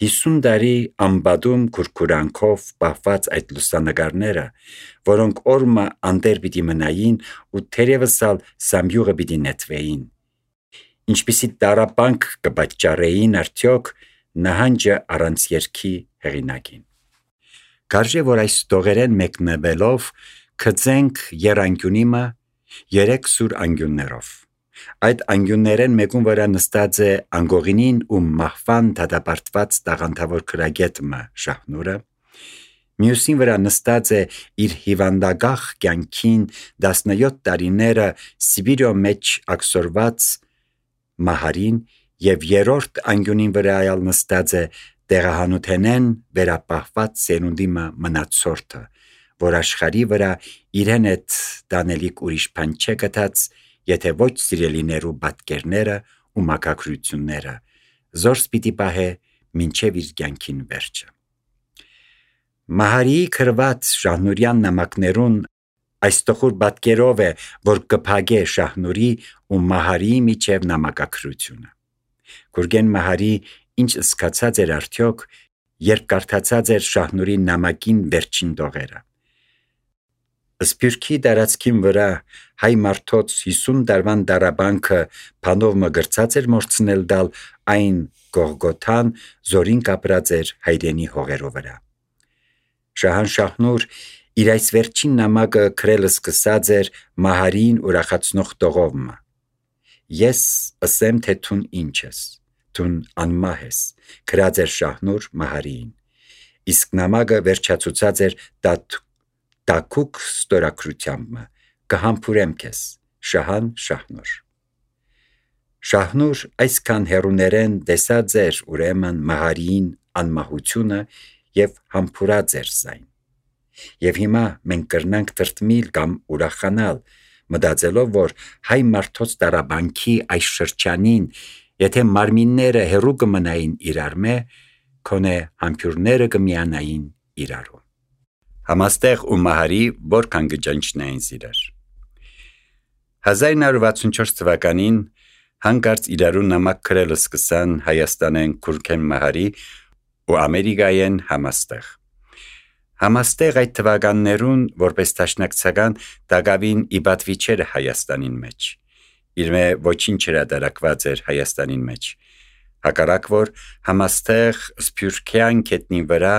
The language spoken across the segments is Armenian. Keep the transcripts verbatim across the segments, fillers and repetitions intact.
հիսուն տարի ամբադում քուրքուրանքով պահված այդ լուսանկարները, որոնք օրմը անտեր պիտի մնային ու թերևս ալ սամբյուղը պիտի նետվեին, ինչպիսի տարապանք կպատճառեին արդյոք նահանջը առանց երգի հեղինակին։ Կարժե որ այս տողերեն մեկնվելով կծենք երանգյունիմը երեք սուր անգյուններով։ Այդ անգյուններեն մեկուն վրա նստած է անգողինին ու մահվան դատապարտված տաղանդավոր քրագետը Շահնուրը, մյուսին վրա նստած է իր հիվանդագահ կյանքին տասնյոթ տարիները Սիբիրո մեջ աքսորված Մահարին և երրորդ անգյունին վրա այլ նստած է տեղահանութենեն վերապահված սերունդի մնացորդը, որ աշխարի վրա իրեն հետ տանելիք ուրիշ բան չէ գտած, եթե ոչ սիրելիներու պատկերները ու մակագրությունները, զորս պիտի պահե մինչև իր կյանքին վերջը։ Մահարիի քրված Շահնուրյան նամակներուն այս տխուր պատկերով է, որ կփագե Շահնուրի ու Մահարիի միջև նամակագրությունը։ Գուրգեն Մահարի ինչ սկացած էր արդյոք, երբ կարդացած էր Շահնուրի նամակին վերջին տողերը։ Սփյուռքի տարածքին վրա հայ մարդոց հիսուն տարվան տարաբանքը բանով մգրծած էր մորցնել դալ այն Գողգոթան զորին կապրած էր հայրենի հողերով վրա։ Շահան Շահնուր իր այս վերջին նամակը գրել սկսած էր Մահարին ուրախացնող տողով. «Ես ասեմ, թե թուն ինչ ես, թուն անմահ ես», գրած էր Շահնուր Մահարիին, իսկ նամակը վերջացուցած էր տաքուկ ստորագրությամբ. «Կհամբուրեմ քեզ, Շահան Շահնուր»։ Շահնուր այսքան հեռուներեն տեսած էր ուրեմն Մահարիին անմահությունը և համբուրած էր զայն։ Եվ հիմա մենք կրնանք տրտմիլ կամ ուրախանալ, մտածելով, որ հայ մարդոց տարաբանքի այս շրջանին, եթե մարմինները հեռու կմնային իրարմե, քոնե համբուրները կմիանային իրարու։ Համաստեղ ու Մահարի որքան կճնչնային իրար։ հազար նոր վաթսունչորս թվականին հանկարծ իրարու նամակ գրել սկսան Հայաստանեն Գուրգեն Մահարի ու Ամերիկայեն Համաստեղ։ Համաստեղ այդ թվականներուն որպես դաշնակցական դակավին իբատվի չէր Հայաստանին մեջ։ Իրմե ոչինչ հրատարակված էր Հայաստանին մեջ։ Հակառակ որ Համաստեղ սփյուռքյան գետնի վրա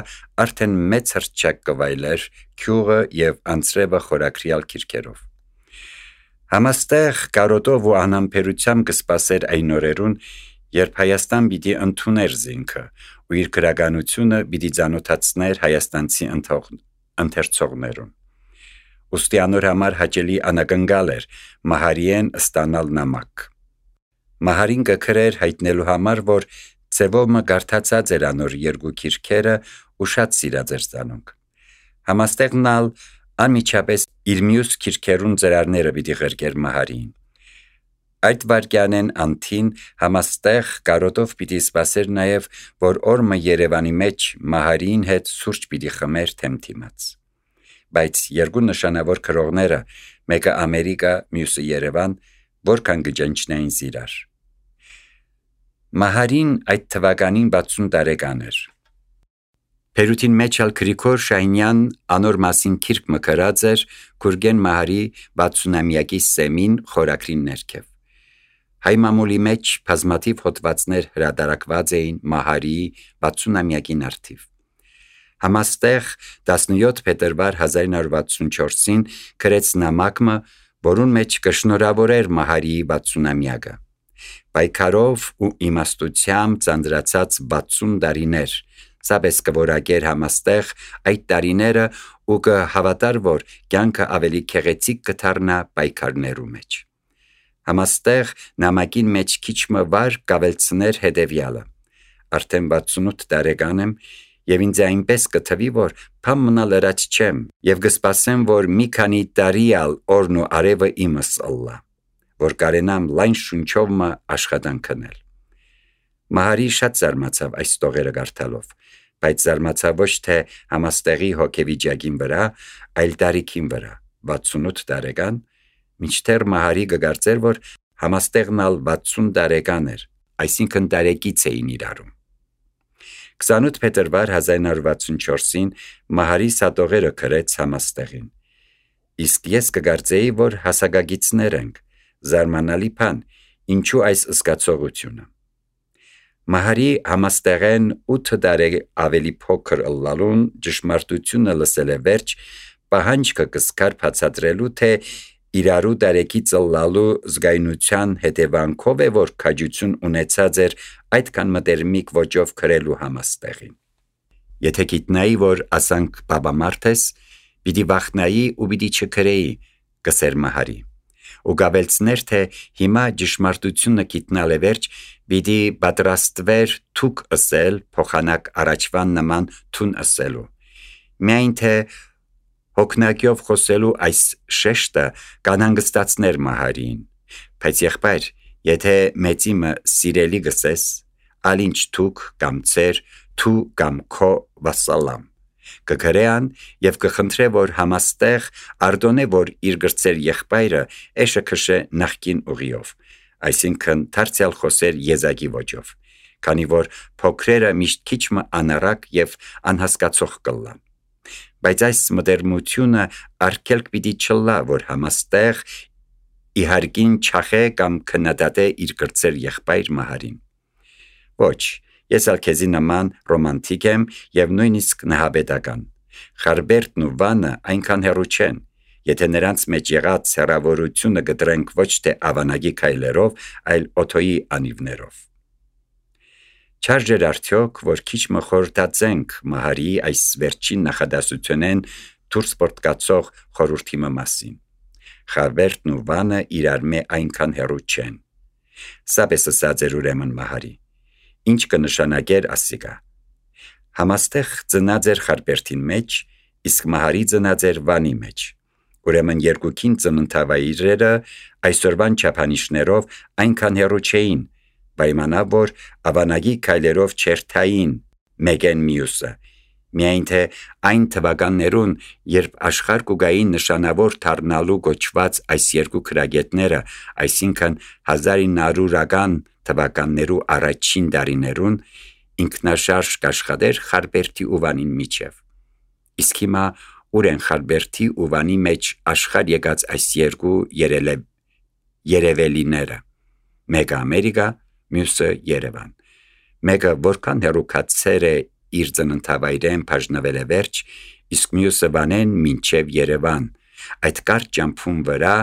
արդեն մեծ հռչակ կվայլեր գյուղը և անձրևը խորագրյալ քիրքերով։ Համաստեղ կարոտով ու անհամբերությամբ կսպասեր այն օրերուն, երբ Հայաստան պիտի ընդուներ զինքը ու իր գրականությունը պիտի ծանոթացներ հայաստանցի ընթերցողներուն։ Ուստի անոր համար հաճելի անակնկալ էր Մահարիեն ստանալ նամակ։ Մահարին կգրեր հայտնելու համար, որ ձևով կարդացած էր անոր երկու քիրքերը ու շատ սիրած էր զանոնք։ Համաստեղն ալ անմիջապես իր մյուս քիրքերուն ծրարները պիտի ղրկեր Մահարիին։ Այդ վարկյանեն անթին Համաստեղ կարոտով պիտի սպասեր նաև, որ օրմը Երևանի մեջ Մահարիին հետ սուրճ պիտի խմեր թեմթիմաց։ Բայց երկու նշանավոր քրողները, մեկը Ամերիկա, մյուսը Երևան, որքան կճնչնային իրար։ Մահարին այդ թվականին վաթսուն տարեկան էր։ Պերութին մեջ ալ Գրիգոր Շահինյան անոր մասին քիրք մը գրած էր Գուրգեն Մահարի վաթսունամյակի սեմին խորագրին ներքև։ Հայ մամուլի մեջ բազմաթիվ հոդվածներ հրատարակված էին Մահարիի վաթսունամյակին արդիվ։ Համաստեղ տասնյոթ փետրվար հազար նոր վաթսունչորսին գրեց նամակը, որուն մեջ կշնորհավորեր Մահարիի վաթսունամյակը։ Պայքարով ու իմաստությամբ ծանրացած վաթսուն տարիներ, սապես կորակեր Համաստեղ այդ տարիները ու կհավատար, որ կյանքը ավելի քեղեցիկ կդառնա պայքարներու մեջ։ Համաստեղ նամակին մեջ քիչ մը վար կավելցներ հետևյալը. արդեն վաթսունութ տարեկան եմ և ինձ այնպես կթվի, որ բան մնալ ըրած չեմ և կսպասեմ, որ մի քանի տարի ալ օրն ու արևը իմս ըլլա, որ կարենամ լայն շունչով մը աշխատանք անել։ Մահարի շատ զարմացավ այս տողերը կարդալով, բայց զարմացավ ոչ թե Համաստեղի հոգեվիճակին վրա, այլ տարիքին վրա, վաթսունութ տարեկան, մինչդեռ Մահարի կգարծեր, որ Համաստեղն ալ վաթսուն տարեկան էր, այսինքն տարեկից էին իրարու։ քսանութ փետրվար հազար ինը հարյուր վաթսունչորսին Մահարի սատողերը գրեց համաստեղին. Իսկ ես կգարձեի, որ հասակագիցներ ենք, զարմանալի բան, ինչու այս զգացողությունը։ Մահարի համաստեղեն ութ տարի ավելի փոքր ըլլալուն ճշմարտությունը լսել է վերջ, պահանջքը կսկար բացատրելու, թե իրարու տարեկից ըլլալու զգայունության հետևանքով է, որ քաջություն ունեցած էր այդքան մտերմիկ ոճով գրելու համաստեղին։ Եթե գիտնայի, որ ասանք բաբամարդ ես, պիտի վախնայի ու պիտի չգրեի, կսեր Մահարի, ու գավելցներ, թե հիմա ճշմարտությունը գիտնալ է վերջ, պիտի պատրաստվեր թուք ըսել, փոխանակ առաջվան նման թուն ըսելու։ Միայն թե հոգնակյով խոսելու այս շեշտը կանհանգստացներ Մահարին, բայց եղբայր, եթե մեծիմը սիրելի գսես, ալինչ թուք կամ ծեր, թու կամ քո վասալամ, կգրեան և կխնդրե, որ համաստեղ արդոնե, որ իր գրծեր եղբայրը էշը քշե նախկին ուղիով, այսինքն դարձյալ խոսեր եզակի ոճով, քանի որ փոքրերը միշտ քիչմը անառակ և անհասկացող կլան։ Բայց այս մտերմությունը արգելք պիտի չլա, որ համաստեղ իհարկին չախե կամ քննադատե իր գրծեր եղբայր Մահարին։ Ոչ, ես ալ քեզի նման ռոմանտիկ եմ և նույնիսկ նահաբետական։ Խարբերտն ու Վանը այնքան հեռու չեն, եթե նրանց մեջ եղած հեռավորությունը գտրենք ոչ թե ավանագի քայլերով, այլ օթոյի անիվներով։ Չարժ էր արդյոք, որ քիչ մը խորհրդածենք Մահարի այս վերջին նախադասությունեն դուրս պորտկացող խորհրդի մասին։ Խարբերտն ու Վանը իրար մե այնքան հեռու չեն։ Սա պես ասած էր ուրեմն Մահարի։ Ինչ կնշանակեր ասիկա։ Համաստեղ ծնած էր Խարբերտին մեջ, իսկ Մահարի ծնած էր Վանի մեջ։ Ուրեմն երկուքին ծննդավայրերը այսօրվան չափանիշներով այնքան հեռու չէին, պայմանավ, որ ավանագի քայլերով չերթային մեկեն մյուսը, միայն թե այն թվականներուն, երբ աշխարհ կուգային նշանավոր դառնալու գոչված այս երկու քրագետները, այսինքն հազար ինը հարյուրական թվականներու առաջին տարիներուն, ինքնաշարժ կաշխատեր Խարբերտի ու Վանին միջև։ Իսկ հիմա ուր են Խարբերտի ու Վանի մեջ աշխարհ եկած այս երկու երելև երևելիները, մեկը Ամերիկա, մյուսը Երևան, մեկը որքան հեռուկացեր է իր ծննդավայրեն բաժնվել է վերջ, իսկ մյուսը Վանեն մինչև Երևան, այդ կարճ ճամփուն վրա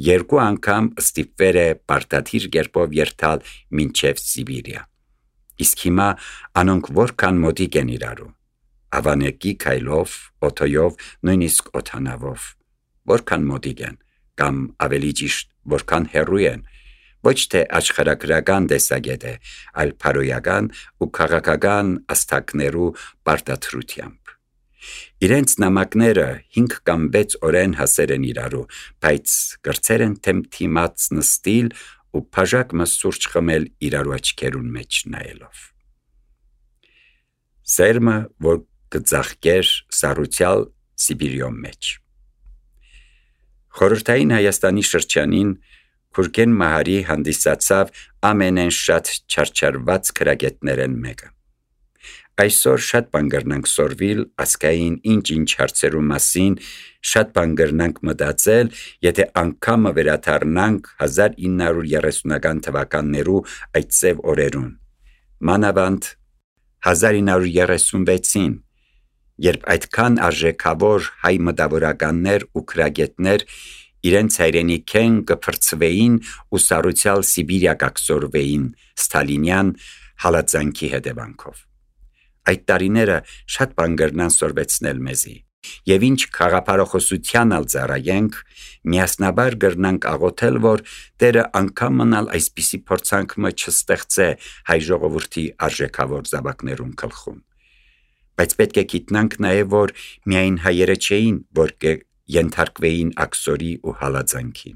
երկու անգամ ստիպվեր է պարտադիր կերպով երթալ մինչև Սիբիրիա։ Իսկ հիմա անոնք որքան մոտիկ են իրարու, ավանեկի քայլով, օթոյով, նույնիսկ օթանավով, որքան մոտիկ են, կամ ավելի ճիշտ, որքան հեռու են, ոչ թե աշխարհագրական տեսակետ է, այլ փարոյական ու քաղաքական աստակներու պարտադրությամբ։ Իրենց նամակները հինգ կամ վեց օրեն հասեր են իրարու, բայց գրծեր են թեմթիմաց նստիլ ու բաժակ մը սուրճ խմել իրարու աչքերուն մեջ նայելով։ Սերմը, որ կծաղկեր սառուցյալ Սիբիրիոմ մեջ։ Խորհրդային Հայաստանի շրջանին Քուրգեն Մահարի հանդիսացավ ամենեն շատ չարչարված քրագետներեն մեկը։ Այսօր շատ բան կրնանք սորվիլ ասկային ինչ-ինչ հարցերու մասին, շատ բան կրնանք մտածել, եթե անգամը վերադառնանք հազար ինը հարյուր երեսունական թվականներու այդ ծև օրերուն։ Մանավանդ հազար ինը հարյուր երեսունվեցին, երբ այդքան արժեքավոր հայ մտավորականներ ու քրագետներ իրենց հայրենիքեն կփրցվեին ու սառուցյալ Սիբիրիա կակսորվեին Ստալինյան հալածանքի հետևանքով։ Այդ տարիները շատ բան կրնան սորվեցնել մեզի, եւ ինչ խաղապարախոսության ալ ծառայենք, միասնաբար կրնանք աղոթել, որ Տերը անգամ մնալ այսպիսի փորձանքը չստեղծե հայ ժողովրդի արժեքավոր զավակներուն գլխում։ Բայց պետք է գիտնանք նաև, որ միայն հայերը չէին, որ ենթարկվեին աքսորի ու հալածանքի։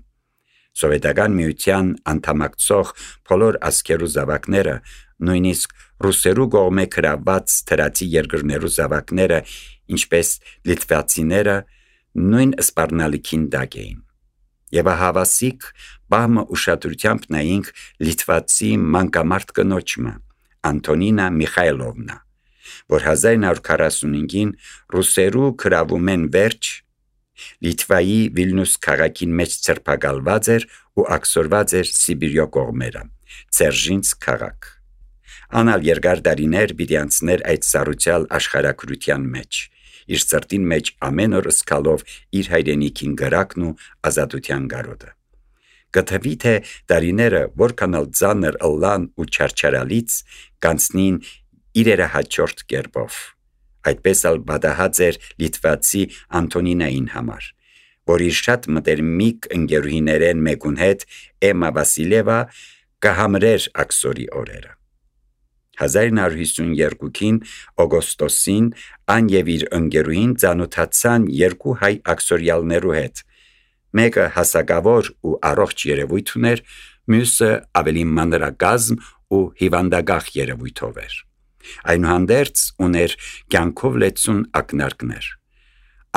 Սովետական միության անդամակցող բոլոր ազգերու զավակները, նույնիսկ ռուսերու կողմէ գրաված թրացի երկրներու զավակները, ինչպես լիտվացիները, նույն սպառնալիքին տակ էին։ Եվ հավասիկ բահմը ուշադրությամբ նայինք լիտվացի մանկամարդ կնոջը, Անտոնինա Միխայլովնա, որ հազար նոր քառասունհինգին ռուսերու քրավում են վերջ Լիտվայի Վիլնյուս քաղաքին մեջ ցրփակալված էր ու աքսորված էր Սիբիրյո կողմերը, Ցերժինսկ քաղաք։ Անալ երկար դարիներ պիտի անցներ այդ սառուցյալ աշխարհակրության մեջ, իր սրտին մեջ ամեն օր սկալով իր հայրենիքին գրակն ու ազատության գարոդը։ Գտվի թե դարիները որքանալ ծանր ըլլան ու չարչարալից կանցնին իրերը հաջորդ կերպով։ Այդպես ալ բադահած էր լիտվացի Անտոնինային համար, որ իր շատ մտերմիկ ընկերուհիներեն մեկուն հետ Էմմա Վասիլևա կհամրեր աքսորի օրերը։ հազար նոր հիսունյոթին օգոստոսին ան եւ իր ընկերուհին ծանոթացան երկու հայ աքսորյալներու հետ, մեկը հասակավոր ու առողջ երևույթ ուներ, մյուսը ավելի մանրակազմ ու հիվանդագահ երևույթով էր։ Այնուհանդերձ ուներ կյանքով լեցուն ակնարկներ։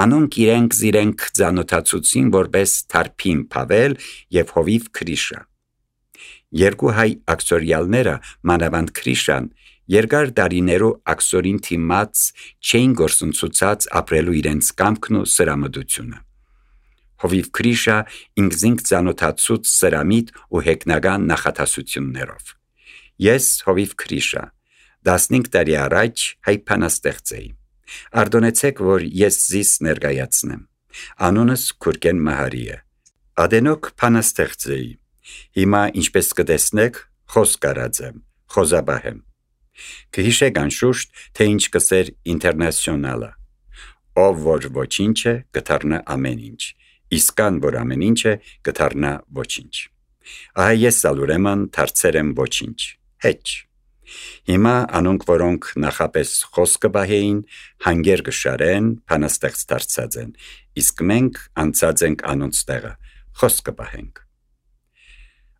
Անոնք իրենք զիրենք ծանոթացուցին որպես Թարփին Փավել եւ Հովիվ Քրիշա։ Երկու հայ աքսորյալները, մանավանդ Քրիշան, երկար դարիներու աքսորին թիմած չէին գործընծուցած ապրելու իրենց կամքն ու սրամդությունը։ Հովիվ Քրիշա ինքզինք ծանոթացուց սրամիտ ու հեգնական նախատասություններով։ Ես Հովիվ Քրիշա տասնհինգ տարի առաջ հայ բանաստեղծ էի։ Ардոնեցեք, որ ես զիս ներկայացնեմ։ Անունս Քուրգեն Մահարի է։ Ադենոք բանաստեղծ էի։ Հիմա ինչպես կտեսնեք, խոսք արած եմ, խոզաբահ եմ։ Կհիշեք անշուշտ, թե ինչ կսեր ինտերնացիոնալը։ Ով որ ոչինչ է, կդառնա ամեն ինչ, իսկ ան որ ամեն ինչ է, կդառնա ոչինչ։ Ահա ես ալ ուրեմն դարձել եմ ոչինչ, հեչ։ Հիմա անոնք, որոնք նախապես խոսքը բահեին, հանգեր կշարեն, բանաստեղծ դարձած են, իսկ մենք անցած ենք անոնց տեղը, խոսքը բահենք։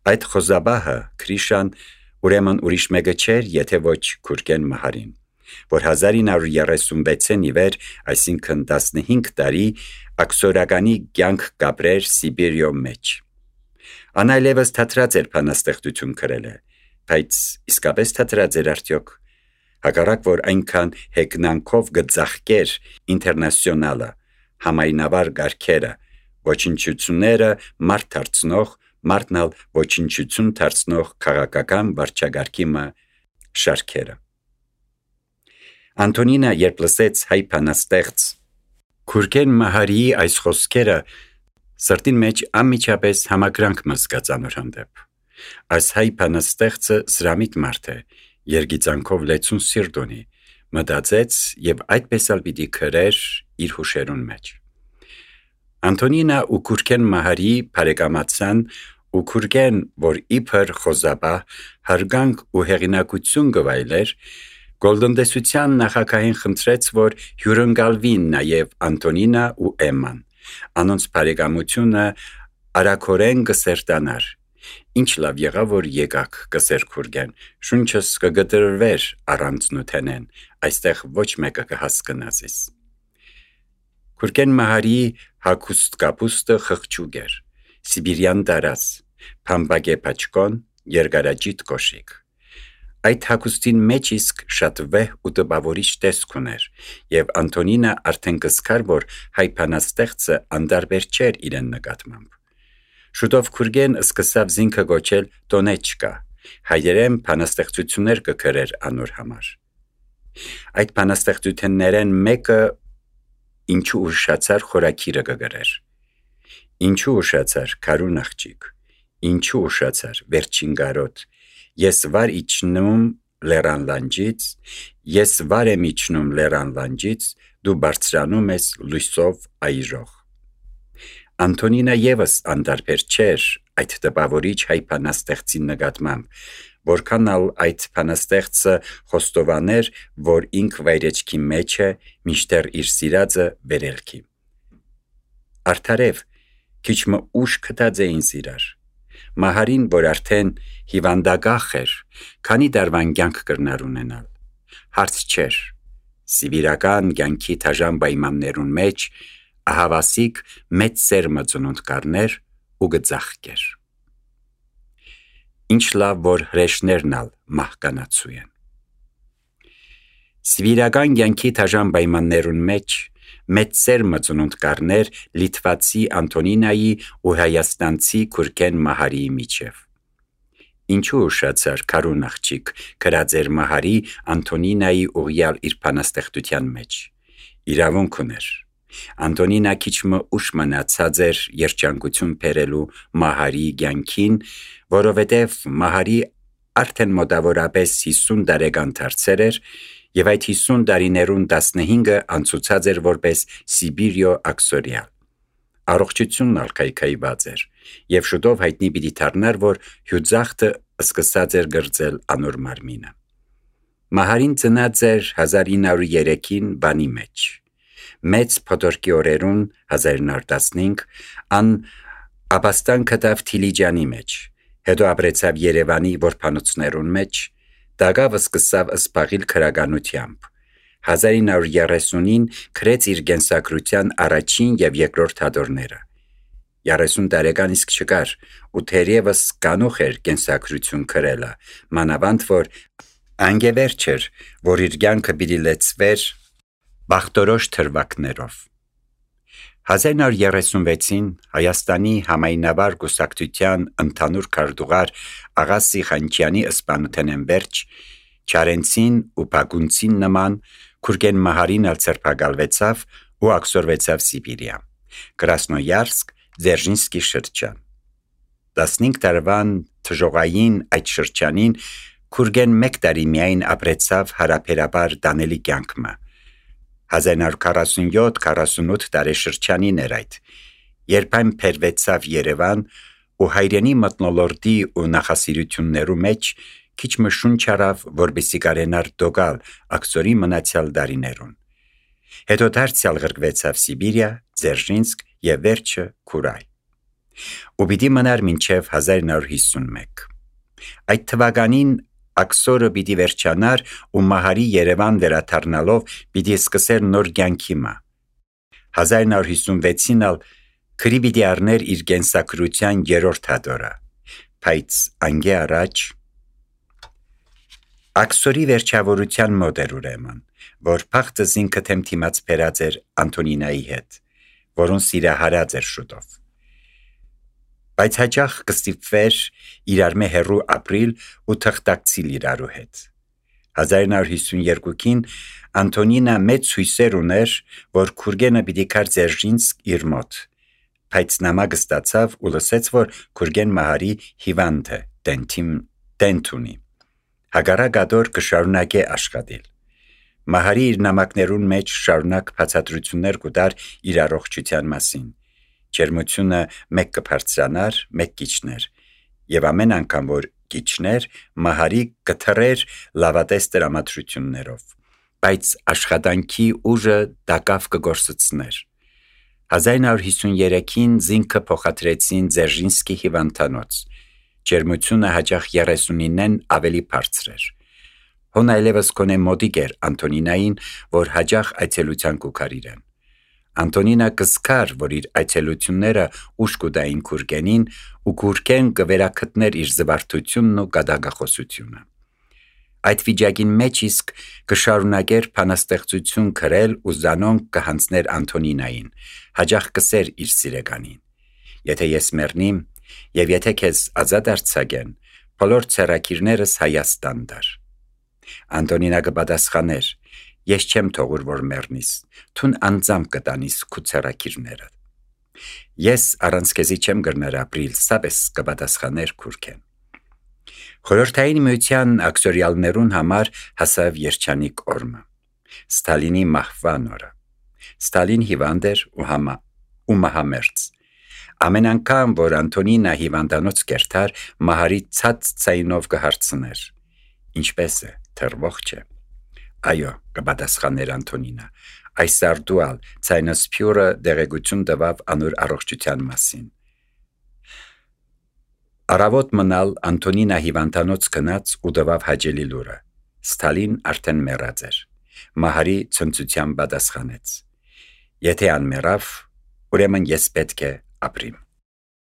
Այդ խոզաբահը Քրիշան ուրեմն ուրիշ մեկը չէր, եթե ոչ Քուրգեն Մահարին, որ հազար նոր երեսունվեցին ի վեր, այսինքն տասնհինգ տարի աքսորականի կյանք կապրեր Սիբիրյո մեջ։ Անայլևս թատրած էր բանաստեղծություն գրել է, բայց իսկապես թատրած էր արդյոք։ Հակառակ որ այնքան հեգնանքով գծախկեր ինտերնացիոնալը, համայնավար գարքերը, ոչնչությունները մարդ դարձնող, մարդնալ ոչնչություն դարձնող քաղաքական վարչագարքի շարքերը։ Անտոնինա երբ լսեց հայ բանաստեղծ Քուրգեն Մահարիի այս խոսքերը, սրտին մեջ անմիջապես համակրանք մզգաց անոր հանդեպ։ Այս հայ բանաստեղծը սրամիտ մարդ է, երգիծանքով լեցուն սիրտ ունի, մտածեց եւ այդպես ալ պիտի քրեր իր հուշերուն մեջ։ Անտոնինա ու Քուրգեն Մահարի բարեկամացան ու Քուրգեն, որ իբր խոզաբահ, հարգանք ու հեղինակություն գվայլեր, գոլդնդեսության նախագահին խնդրեց, որ հյուրընկալվին նաև Անտոնինա ու Էմման, անոնց բարեկամությունը արագորեն կսերտանար։ Ինչ լավ եղավ, որ եկաք, կսեր Քուրգեն, շունչս կգտրվեր առանց նութենեն, այստեղ ոչ մեկը կհասկնա զիս։ Քուրգեն Մահարի հագուստ կապուստը խղճուկ էր, սիբիրյան տարած, փամբագե պաչկոն, երկարաջիտ կոշիկ։ Այդ հագուստին մեջ իսկ շատ վեհ ու տպավորիչ տեսք ուներ, եւ Անտոնինա արդեն կզգար, որ հայ բանաստեղծը անդարբեր չէր իրեն նկատմամբ։ Շուտով Քուրգեն սկսավ զինքը գոչել Տոնեչկա, հայերեն բանաստեղծություններ կգրեր անոր համար։ Այդ բանաստեղծություններեն մեկը ինչու ուշացար խորակիրը կգրեր։ Ինչու ուշացար քարուն աղջիկ, ինչու ուշացար վերջին գարոտ, ես վար իջնում լեռան լանջից, ես վար եմ իջնում լեռան լանջից, դու բարձրանում ես լույսով այրող։ Անտոնինա եւս անդարբեր չէր այդ տպավորիչ հայ բանաստեղծի նկատմամբ, որքան ալ այդ բանաստեղծը խոստովաներ, որ ինք վայրեջքի մեջ է, մինչդեռ իր սիրածը վերելքի։ Արդարև, քիչ մը ուշ կտած էին սիրար։ Մահարին, որ արդեն հիվանդագախ էր, քանի դարվան կյանք կրնար ունենալ, հարց չէր, սիվիրական կյանքի թաժան պայմաններուն մեջ ահավասիկ մեծ սերմը ծնունդ կառներ ու գծախկեր։ Ինչ լավ, որ հրեշներն ալ մահկանացու են։ Սվիրական յանքի թաժան պայմաններուն մեջ մեծ սերմը ծնունդ կառներ Լիտվացի Անտոնինայի ու Հայաստանցի Քուրքեն Մահարիի միջև։ Ինչու ուշացար քարուն աղջիկ գրած էր Մահարի Անտոնինայի ուղյալ իր բանաստեղծության մեջ։ Իրավունք ուներ։ Անտոնինա քիչմը ուշ մնացած էր երջանկություն բերելու Մահարի կյանքին, որովհետև Մահարի արդեն մոտավորապես հիսուն տարեկան դարձել էր եւ այդ հիսուն տարիներուն տասնհինգը անցուցած էր որպես Սիբիրիո աքսորիալ։ Առողջությունն ալ քայքայված էր եւ շուտով հայտնի պիտի դառնար, որ հյուծախտը սկսած էր գրծել անոր մարմինը։ Մահարին ծնած էր հազար ինը հարյուր երեքին բանի մեջ։ Մեծ փոթորկի օրերուն հազար ինը հարյուր տասնհինգ ան Աբաստան կտավ Թիլիջանի մեջ, հետո ապրեցավ Երևանի որբանոցներուն մեջ, դագավը սկսավ սպաղիլ քրագանությամբ։ հազար ինը հարյուր երեսունին գրեց իր կենսագրության առաջին եւ երկրորդ հատորները։ երեսուն տարեկան իսկ չկար ու թերևս կանուխ էր կենսագրություն գրելը, մանավանդ որ անգևերջ էր, որ իր կյանքը պիտի լեցվեր բախտորոշ թրվակներով։ հազար ինը հարյուր երեսունվեցին Հայաստանի համայնավար կուսակցության ընդհանուր քարտուղար Աղա Սիխանչյանի ըսպանութենեն վերջ Չարենցին ու Բագունցին նման Քուրքեն Մահարին ալ ցերպակալվեցավ ու աքսորվեցավ Սիբիրիա, Կրասնոյարսկ, Ձերժինսկի շրջան։ տասնհինգ տարվան թժողային այդ շրջանին Քուրքեն մեկ տարի միայն ապրեցավ հարաբերաբար դանելի կյանքը։ հազար ինը հարյուր քառասունյոթ քառասունութ տարեշրջանին էր այդ, երբ այն փերվեցավ Երևան ու հայրենի մթնոլորտի ու նախասիրություններու մեջ քիչ մշունչ արավ, որպեսզի կարենար դոգալ աքսորի մնացյալ դարիներուն։ Հետո դարձյալ գրկվեցավ Սիբիրիա, Ձերժինսկ եւ վերջը Քուրայ։ Ու պիտի մնար մինչև հազար ինը հարյուր հիսունմեկ։ Այդ թվականին աքսորը պիտի վերջանար ու Մահարի Երևան վերադառնալով պիտի սկսեր նոր կյանքի մը։ հազար ինը հարյուր հիսունվեցին ալ քրի պիտի առներ իր կենսագրության երրորդ հատորը, բայց անգե առաջ աքսորի վերջավորության մոտ էր ուրեմն, որ փախտը զինքը թեմթիմաց բերած էր Անտոնինայի հետ, որուն սիրահարած էր շուտով։ Բայց հաճախ կստիպվեր իրար մե հեռու ապրիլ ու թղթակցիլ իրարու հետ։ հազար ինը հարյուր հիսունյոթին Անտոնինա մեծ հույսեր ուներ, որ Քուրգենը պիտի գար Ձերժինսկ իր մոտ, բայց նամակը ստացավ ու լսեց, որ Քուրգեն Մահարի հիվանդ է, տենթ ունի։ Հագարակ ադոր կշարունակե աշխատել։ Մահարի իր նամակներուն մեջ շարունակ բացատրություններ կուտար իր առողջության մասին։ Ջերմությունը մեկ կբարձրանար, մեկ կիջներ, եւ ամեն անգամ որ կիջներ, Մահարի կթռեր լավատես տրամադրություններով, բայց աշխատանքի ուժը դակավ կգործցներ։ հազար ինը հարյուր հիսուներեքին զինքը փոխադրեցին Ձերժինսկի հիվանդանոց։ Ջերմությունը հաճախ երեսունինեն ավելի բարձր էր։ Հոն այլևս կոնե մոտիկ էր Անտոնինային, որ հաճախ այցելության կուքար իրեն։ Անտոնինա կզքար, որ իր այցելությունները ուշ կուտային Քուրգենին ու Քուրգեն կվերակտներ իր զվարթությունն ու գադագախոսությունը։ Այդ վիճակին մեջ իսկ կշարունակեր բանաստեղծություն գրել ու զանոնք կհանձներ Անտոնինային, հաճախ կսեր իր սիրեկանին։ Եթե ես մեռնիմ եւ եթե քեզ ազատ արձակեն, բոլոր ցերակիրներս Հայաստան դար։ Անտոնինա կպատասխաներ. ես չեմ թողուր որ մեռնիս, թուն անձամբ կտանիս քու ցերակիրները։ Ես առանց քեզի չեմ գրներ ապրիլ, սապես կպատասխաներ Քուրքեն։ Խորհրդային միության աքսորիալներուն համար հասավ երջանիկ օրը։ Ստալինի մահվան օրը։ Ստալին հիվանդ էր ու համա ու մահամերձ։ Ամեն անգամ, որ Անտոնինա հիվանդանոց կերտար, Մահարի ցած ցայնով կհարցներ. ինչպես է, թրվող չէ։ Այո, կպատասխաներ Անտոնինա, այս արդուալ ցայնասփյուրը դեղեցություն տվավ անոր առողջության մասին։ Արավոտ մնալ Անտոնինա հիվանդանոց գնաց ու տվավ հաջելի լուրը։ Ստալին արդեն մեռած էր։ Մահարի ցնծությամբ պատասխանեց. եթե անմեռավ, ուրեմն ես պետք է ապրիմ։